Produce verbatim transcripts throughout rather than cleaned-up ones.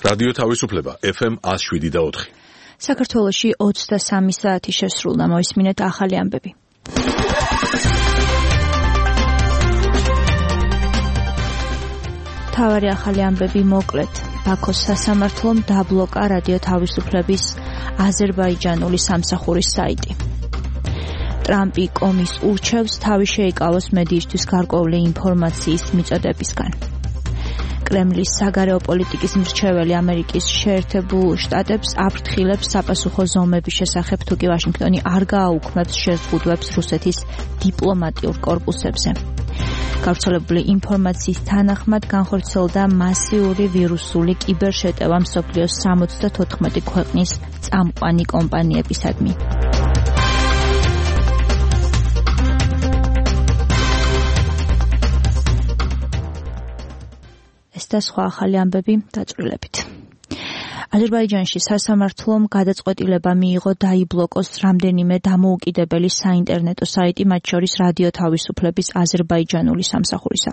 რადიო თავისუფლება ეფ ემ one oh seven point four. საქართველოში ოცდასამი საათი შესრულდა, მოისმინეთ ახალი ამბები. თავარი ახალი ამბები მოკლედ. ბაქოს სასამართლომ დაბლოკა რადიო თავისუფლების აზერბაიჯანული სამსახურის საიტი. ტრამპი კომის ურჩევს თავი შეიკავოს მედიისთვის გარკვეული ინფორმაციის მიწოდებისგან. კრემლის საგარეო პოლიტიკის მრჩეველი ამერიკის შეერთებულ შტატებს აფრთხილებს საპასუხო ზომების შესახებ, თუკი ვაშინგტონი არ გააუქმებს შეზღუდვებს რუსეთის დიპლომატიურ კორპუსებზე. გავრცელებული ინფორმაციის თანახმად განხორციელდა მასიური ვირუსული კიბერშეტევა მსოფლიოს სამოცდათოთხმეტი ქვეყნის წამყვანი კომპანიებისადმი. ეს და სხვა ახალი ამბები დაწვრილებით. აზერბაიჯანში სასამართლომ გადაწყვეტილება მიიღო დაიბლოკოს რამდენიმე დამოუკიდებელი საინტერნეტო საიტი, მათ შორის რადიო თავისუფლების აზერბაიჯანული სამსახურისა.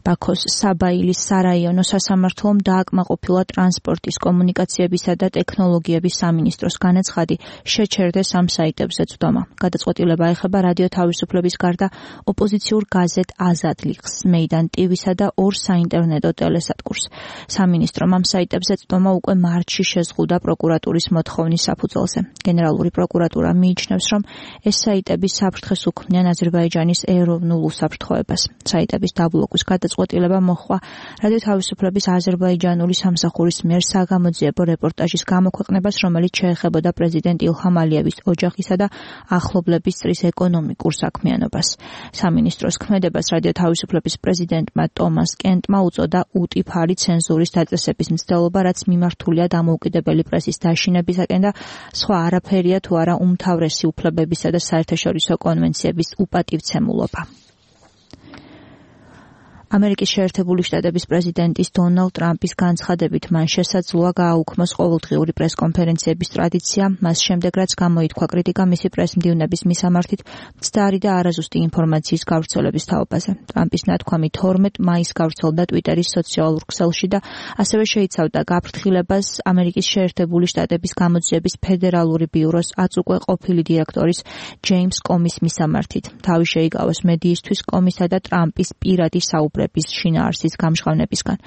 ბაქოს საბაილის სარაიონო სასამართლომ დააკმაყოფილა ტრანსპორტის, კომუნიკაციებისა და ტექნოლოგიების სამინისტროს განაცხადი, შეჩერდეს ამ საიტებზე წვდომა. გადაწყვეტილება ეხება რადიო თავისუფლების გარდა ოპოზიციურ გაზეთ აზადლიხს, მეიდან ტივისა და ორ საინტერნეტო ტელესატკურს. სამინისტრომ ამ საიტებზე წვდომა უკვე მარტში შეზღუდა პროკურატურის მოთხოვნის საფუძველზე. გენერალური პროკურატურა მიიჩნევს, რომ ეს საიტები საფრთხეს უქმნიან აზერბაიჯანის ეროვნულ უსაფრთხოებას. საიტების დაბლოკვის გადაწყვეტილება მოჰყვა რადიო თავისუფლების აზერბაიჯანული სამსახურის მიერ საგამოძიებო რეპორტაჟის გამოქვეყნებას, რომელიც შეეხებოდა პრეზიდენტ ილჰამ ალიევის ოჯახისა და ახლობლების წრის ეკონომიკურ საქმიანობას. სამინისტროს ქმედებას რადიო თავისუფლების პრეზიდენტმა ტომას კენტმა უწოდა უტიფარი ცენზურის დაწესების მცდელობა, რაც მიმართულია დამოუკიდებელი პრესის დაშინებისაკენ და სხვა არაფერია თუ არა უმთავრესი უფლებებისა და საერთაშორისო კონვენციების უპატივცემულობა. ამერიკის შეერთებული შტატების პრეზიდენტის დონალდ ტრამპის განცხადებით მან შესაძლოა გააუქმოს ყოველდღიური პრესკონფერენციების ტრადიცია, მას შემდეგ რაც გამოითქვა კრიტიკა მისი პრესმდივნების მისამართით მცდარი და არაზუსტი ინფორმაციის გავრცელების თაობაზე. ტრამპის ნათქვამი თორმეტ მაისს გავრცელდა ტვიტერის სოციალურ ქსელში და ასევე შეიცავდა გაფრთხილებას ამერიკის შეერთებული შტატების გამოძიების ფედერალური ბიუროს აც უკვე ყოფილი დირექტორის ჯეიმს კომის მისამართით. თავი შეიკავოს მედიისთვის კომისა და ტრამპის პირადი საუბრები შინაარსის გამჟღავნებისგან.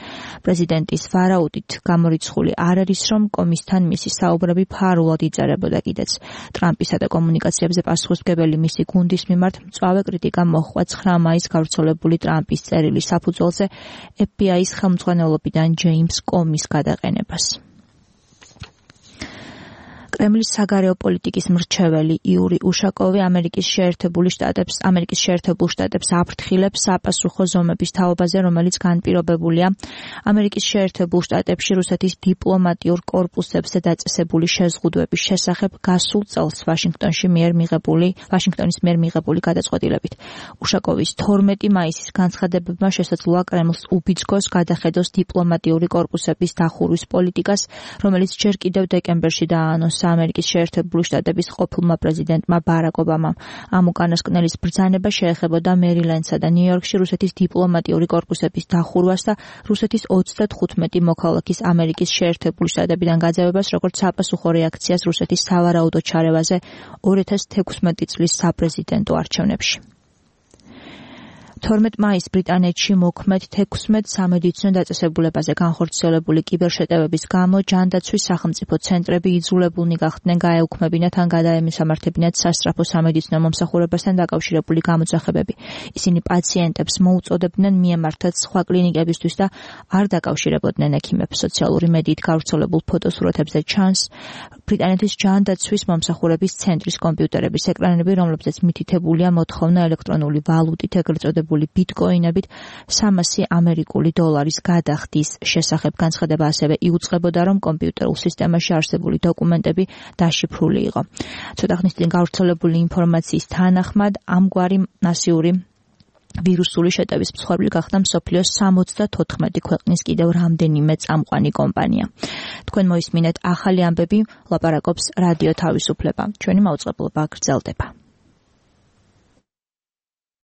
პრეზიდენტის ვარაუდით გამორიცხული არ არის, რომ კომისთან მისი საუბრები ფარულად იწერებოდა კიდეც. ტრამპისა და კომუნიკაციებზე პასუხისმგებელი მისი გუნდის მიმართ მწვავე კრიტიკა მოჰყვა ცხრა მაისს გავრცელებული ტრამპის წერილის საფუძველზე ეფ ბი აის ხელმძღვანელობიდან ჯეიმს კომის გადაყენებას. კრემლის საგარეო პოლიტიკის მრჩეველი იური უშაკოვი ამერიკის შეერთებული შტატებს ამერიკის შეერთებულ შტატებს აფრთხილებს საპასუხო ზომების თაობაზე, რომელიც განპირობებულია ამერიკის შეერთებულ შტატებში რუსეთის დიპლომატიურ კორპუსებზე დაწესებული შეზღუდვების შესახებ გასულ წელს ვაშინგტონში მიერ მიღებული ვაშინგტონის მიერ მიღებული გადაწყვეტილებით. უშაკოვის თორმეტი მაისის განცხადებებმა შესაძლოა კრემლს უბიძგოს გადახედოს დიპლომატიური კორპუსების დახურვის პოლიტიკას, რომელიც ჯერ კიდევ დეკემბერში დააანონსა ამერიკის შეერთებული შტატების ყოფილმა პრეზიდენტმა ბარაკ ობამამ. ამ უკანასკნელის ბრძანება შეეხებოდა მერილენდსა და ნიუ-იორკში რუსეთის დიპლომატიური კორპუსების დახურვას და რუსეთის ოცდათხუთმეტი მოქალაქის ამერიკის შეერთებული შტატებიდან გაძევებას, როგორც საპასუხო რეაქციას რუსეთის სავარაუდო ჩარევაზე ორი ათას თექვსმეტი წლის საპრეზიდენტო არჩევნებში. თორმეტ მაისს ბრიტანეთში მოქმედ თექვსმეტ სამედიცინო დაწესებულებაზე განხორციელებული კიბერშეტევების გამო ჯანდაცვის სახელმწიფო ცენტრები იძულებულნი გახდნენ გაეუქმებინათ ან გადაემისამართებინათ სასწრაფო სამედიცინო მომსახურებასთან დაკავშირებული გამოძახებები. ისინი პაციენტებს მოუწოდებდნენ მიემართათ სხვა კლინიკებისთვის და არ დაკავშირებოდნენ ექიმებს. სოციალური მედიით გავრცელებულ ფოტოსურათებზე ჩანს ბრიტანეთის ჯანდაცვის მომსახურების ცენტრის კომპიუტერების ეკრანები, რომლებზეც მითითებულია მოთხოვნა ელექტრონული ვალუტით, ეგრეთ წოდებული ბიტკოინებით სამასი ამერიკული დოლარის გადახდის შესახებ. განცხადება ასევე იუწყებოდა, რომ კომპიუტერულ სისტემაში არსებული დოკუმენტები დაშიფრული იყო. ცოტა ხნის წინ გავრცელებული ინფორმაციის თანახმად ამგვარი მასიური ვირუსული შეტევის მსხვერპლი გახდა მსოფლიოს სამოცდათოთხმეტი ქვეყნის კიდევ რამდენიმე წამყვანი კომპანია. თქვენ მოისმინეთ ახალი ამბები, ლაპარაკობს რადიო თავისუფლება. ჩვენი მაუწყებლობა გრძელდება.